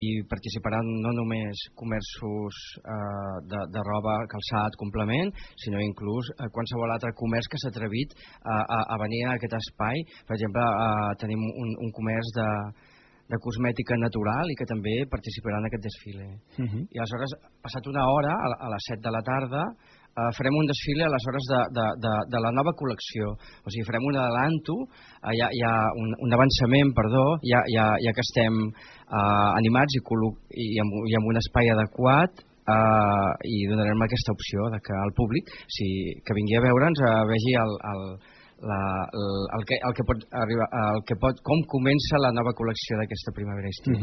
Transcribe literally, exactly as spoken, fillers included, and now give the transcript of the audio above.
hi participaran no només comerços eh, de, de roba, calçat, complement, sinó inclús eh, qualsevol altre comerç que s'ha atrevit a, a, a venir a aquest espai. Per exemple, eh, tenim un, un comerç de, de cosmètica natural i que també participarà en aquest desfile. Uh -huh. I aleshores, passat una hora, a, a les set de la tarda, Uh, farem un desfile a les hores de, de, de, de la nova col·lecció. O sigui, farem un adelanto, uh, hi ha, hi ha un, un avançament, perdó, ja, ja, ja que estem uh, animats i, i, amb, i amb un espai adequat, uh, i donarem aquesta opció de que el públic, si, que vingui a veure'ns, uh, vegi el, el, la, el, el, que, el, que pot arribar, el que pot, com comença la nova col·lecció d'aquesta primavera-estiu.